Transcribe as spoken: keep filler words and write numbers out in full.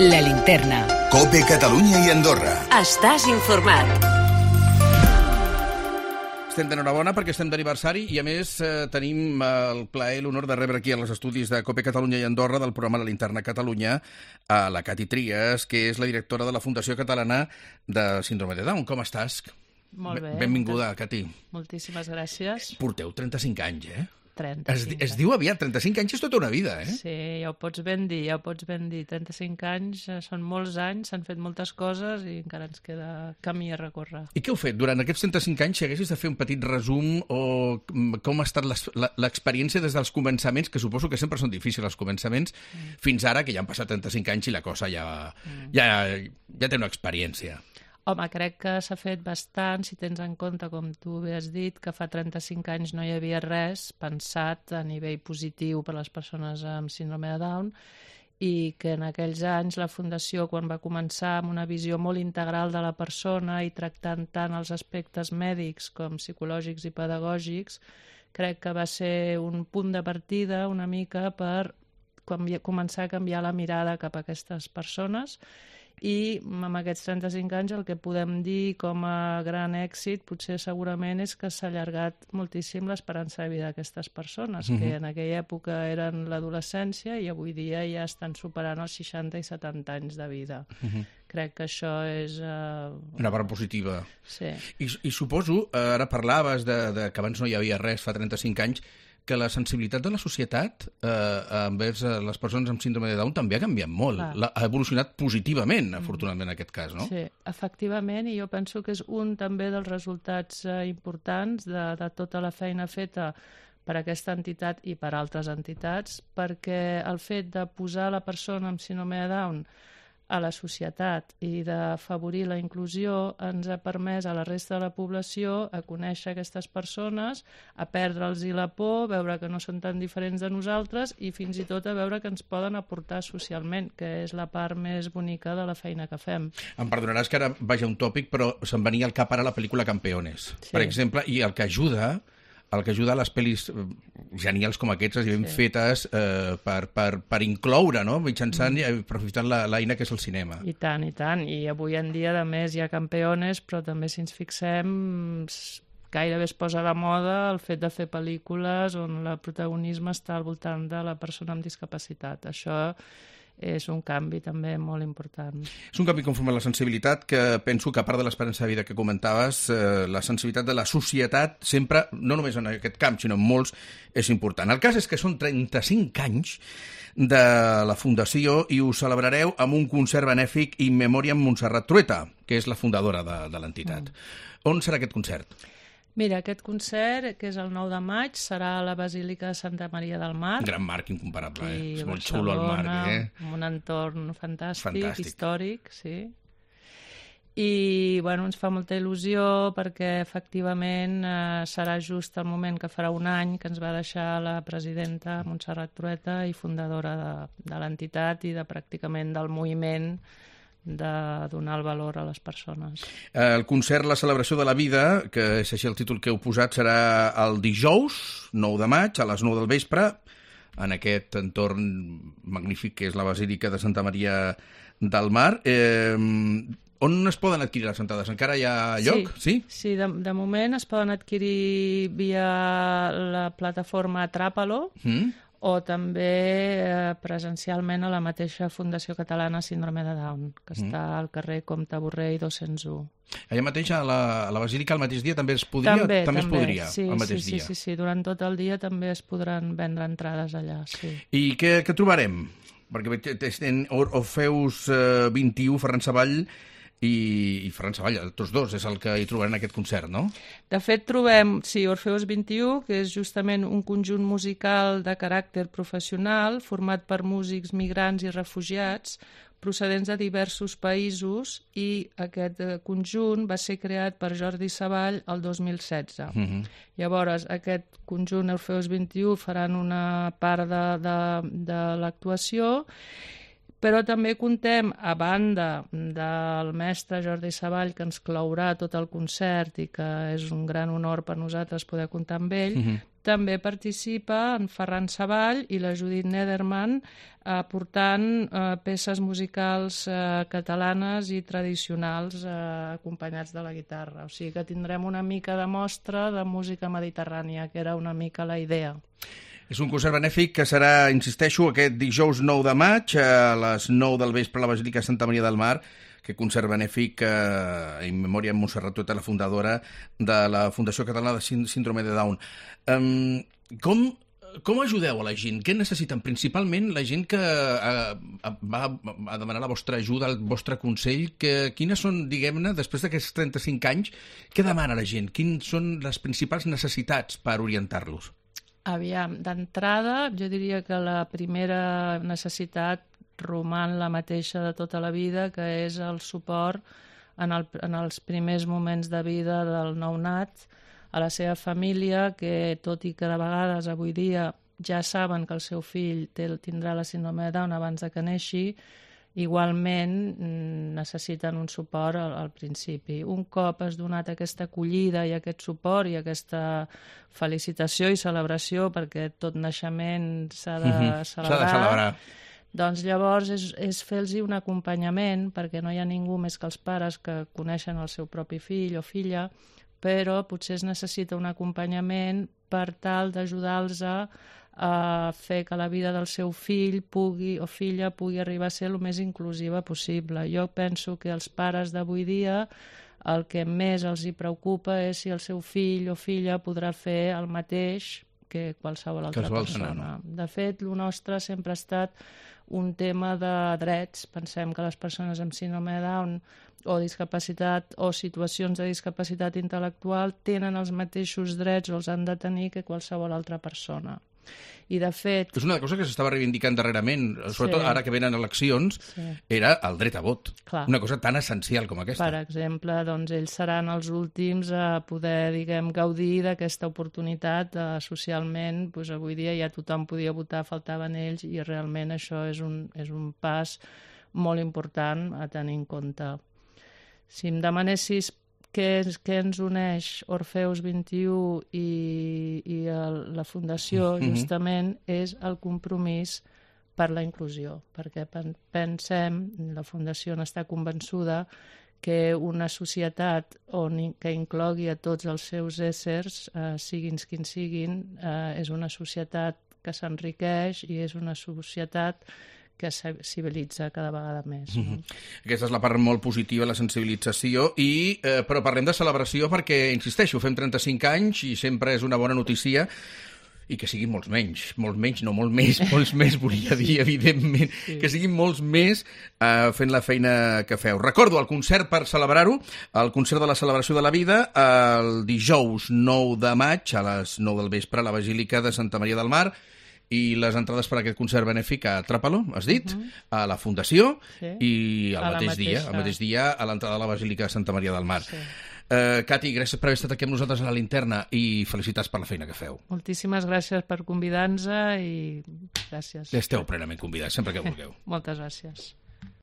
La Linterna. COPE Catalunya i Andorra. Estàs informat. Estem d'enhorabona perquè estem d'aniversari i, a més, eh, tenim el plaer i l'honor de rebre aquí als estudis de COPE Catalunya i Andorra del programa La Linterna Catalunya a la Cati Trias, que és la directora de la Fundació Catalana de Síndrome de Down. Com estàs? Molt bé. Benvinguda, Cati. Moltíssimes gràcies. Porteu trenta-cinc anys, eh? trenta-cinc. Es, es diu aviat, trenta-cinc anys és tota una vida, eh? Sí, ja ho pots ben dir, ja ho pots ben dir. trenta-cinc anys, són molts anys, s'han fet moltes coses i encara ens queda camí a recórrer. I què heu fet? Durant aquests trenta-cinc anys, si haguessis de fer un petit resum o com ha estat l'experiència des dels començaments, que suposo que sempre són difícils els començaments, mm. fins ara, que ja han passat trenta-cinc anys i la cosa ja, mm. ja, ja té una experiència. Home, crec que s'ha fet bastant, si tens en compte, com tu bé has dit, que fa trenta-cinc anys no hi havia res pensat a nivell positiu per a les persones amb síndrome de Down i que en aquells anys la Fundació, quan va començar amb una visió molt integral de la persona i tractant tant els aspectes mèdics com psicològics i pedagògics, crec que va ser un punt de partida una mica per començar a canviar la mirada cap a aquestes persones. I amb aquests trenta-cinc anys el que podem dir com a gran èxit potser segurament és que s'ha allargat moltíssim l'esperança de vida d'aquestes persones, uh-huh. que en aquella època eren l'adolescència i avui dia ja estan superant els seixanta i setanta anys de vida. Uh-huh. Crec que això és... Uh... una part positiva. Sí. I, i suposo, ara parlaves de, de que abans no hi havia res, fa trenta-cinc anys, que la sensibilitat de la societat eh, envers les persones amb síndrome de Down també ha canviat molt. La, ha evolucionat positivament, afortunadament, en aquest cas, no? Sí, efectivament, i jo penso que és un també dels resultats eh, importants de, de tota la feina feta per aquesta entitat i per altres entitats, perquè el fet de posar la persona amb síndrome de Down a la societat i d'afavorir la inclusió ens ha permès a la resta de la població a conèixer aquestes persones, a perdre'ls la por, veure que no són tan diferents de nosaltres i fins i tot a veure que ens poden aportar socialment, que és la part més bonica de la feina que fem. Em perdonaràs que ara vagi un tòpic, però se'm venia al cap ara la pel·lícula Campeones, sí. Per exemple, i el que ajuda... el que ajuda a les pel·lis genials com aquestes i ben sí. fetes eh, per, per, per incloure, no? Mitjançant mm. i aprofitant l'eina que és el cinema. I tant, i tant. I avui en dia, a més, hi ha Campeones, però també, si ens fixem, gairebé es posa de moda el fet de fer pel·lícules on el protagonisme està al voltant de la persona amb discapacitat. Això és un canvi també molt important. És un canvi conforme a la sensibilitat que penso que, a part de l'esperança de vida que comentaves, eh, la sensibilitat de la societat sempre, no només en aquest camp, sinó en molts, és important. El cas és que són trenta-cinc anys de la Fundació i ho celebrareu amb un concert benèfic in memoriam Montserrat Trueta, que és la fundadora de, de l'entitat. Mm. On serà aquest concert? Mira, aquest concert, que és el nou de maig, serà a la Basílica de Santa Maria del Mar. Gran marc incomparable, eh? És molt xulo el marc, eh? Amb un entorn fantàstic, fantàstic. històric, sí. I, bueno, ens fa molta il·lusió perquè, efectivament, eh, serà just el moment que farà un any que ens va deixar la presidenta Montserrat Trueta i fundadora de, de l'entitat i de pràcticament del moviment de donar el valor a les persones. El concert La celebració de la vida, que és així el títol que heu posat, serà el dijous, nou de maig, a les nou del vespre, en aquest entorn magnífic que és la Basílica de Santa Maria del Mar. Eh, on es poden adquirir les entrades? Encara hi ha lloc? Sí, sí? sí de, de moment es poden adquirir via la plataforma Atrapalo, mm. o també eh, presencialment a la mateixa Fundació Catalana Síndrome de Down, que mm. està al carrer Comte Borrell dos-cents u. Allà mateix, a la, a la Basílica, el mateix dia també es podria? També, també, també. es podria, sí, el mateix sí, dia. Sí, sí, sí, durant tot el dia també es podran vendre entrades allà, sí. I què, què trobarem? Perquè tenen Orfeus eh, vint-i-u, Ferran Savall i, i Ferran Savall, tots dos, és el que hi trobaran en aquest concert, no? De fet, trobem, sí, Orfeus vint-i-u, que és justament un conjunt musical de caràcter professional format per músics migrants i refugiats procedents de diversos països i aquest conjunt va ser creat per Jordi Savall el dos mil setze. Uh-huh. Llavors, aquest conjunt Orfeus vint-i-u faran una part de, de, de l'actuació, però també contem, a banda del mestre Jordi Savall, que ens clourà tot el concert i que és un gran honor per nosaltres poder comptar amb ell, uh-huh. també participa en Ferran Savall i la Judit Nederman aportant eh, peces musicals eh, catalanes i tradicionals eh, acompanyats de la guitarra. O sigui que tindrem una mica de mostra de música mediterrània, que era una mica la idea. És un concert benèfic que serà, insisteixo, aquest dijous nou de maig a les nou del vespre a la Basílica de Santa Maria del Mar, que concert benèfic eh, en memòria de Montserrat Tota, la fundadora de la Fundació Catalana de Síndrome de Down. Um, com, com ajudeu a la gent? Què necessiten? Principalment la gent que eh, va a demanar la vostra ajuda, el vostre consell. Que, quines són, diguem-ne, després d'aquests trenta-cinc anys, què demana la gent? Quines són les principals necessitats per orientar-los? Aviam, d'entrada jo diria que la primera necessitat roman la mateixa de tota la vida, que és el suport en, el, en els primers moments de vida del nounat, a la seva família, que tot i que de vegades avui dia ja saben que el seu fill té, tindrà la síndrome de Down abans de que neixi, igualment necessiten un suport al, al principi. Un cop has donat aquesta acollida i aquest suport i aquesta felicitació i celebració, perquè tot naixement s'ha de, mm-hmm. celebrar, s'ha de celebrar, doncs llavors és, és fer-los un acompanyament, perquè no hi ha ningú més que els pares que coneixen el seu propi fill o filla, però potser es necessita un acompanyament per tal d'ajudar-los a a fer que la vida del seu fill pugui o filla pugui arribar a ser el més inclusiva possible. Jo penso que els pares d'avui dia el que més els hi preocupa és si el seu fill o filla podrà fer el mateix que qualsevol altra qualsevol persona. No, no. De fet, el nostre sempre ha estat un tema de drets. Pensem que les persones amb síndrome de Down o discapacitat o situacions de discapacitat intel·lectual tenen els mateixos drets o els han de tenir que qualsevol altra persona. I de fet... És una cosa que s'estava reivindicant darrerament, sobretot sí. Ara que venen eleccions, sí. Era el dret a vot. Clar. Una cosa tan essencial com aquesta. Per exemple, doncs ells seran els últims a poder, diguem, gaudir d'aquesta oportunitat eh, socialment. Doncs avui dia ja tothom podia votar, faltaven ells, i realment això és un, és un pas molt important a tenir en compte. Si em demanessis què, què ens uneix Orfeus vint i u i, i el, la Fundació, mm-hmm. justament, és el compromís per la inclusió, perquè pensem, la Fundació n'està convençuda, que una societat on, que inclogui a tots els seus éssers, eh, siguin quins siguin, eh, és una societat que s'enriqueix i és una societat que civilitza cada vegada més. No? Mm-hmm. Aquesta és la part molt positiva, la sensibilització, i, eh, però parlem de celebració perquè, insisteixo, fem trenta-cinc anys i sempre és una bona notícia, i que siguin molts menys, molts menys, no molt més, molts més, volia dir, evidentment, sí. Que siguin molts més eh, fent la feina que feu. Recordo el concert per celebrar-ho, el concert de la celebració de la vida, el dijous nou de maig a les nou del vespre a la Basílica de Santa Maria del Mar, i les entrades per a aquest concert benèfic a Trapalo, has dit, uh-huh. a la Fundació, sí. I el mateix dia, el mateix dia a l'entrada de la Basílica de Santa Maria del Mar. Sí. Uh, Cati, gràcies per haver estat aquí amb nosaltres a la Linterna i felicitats per la feina que feu. Moltíssimes gràcies per convidar-nos i gràcies. Esteu plenament convidats, sempre que vulgueu. Moltes gràcies.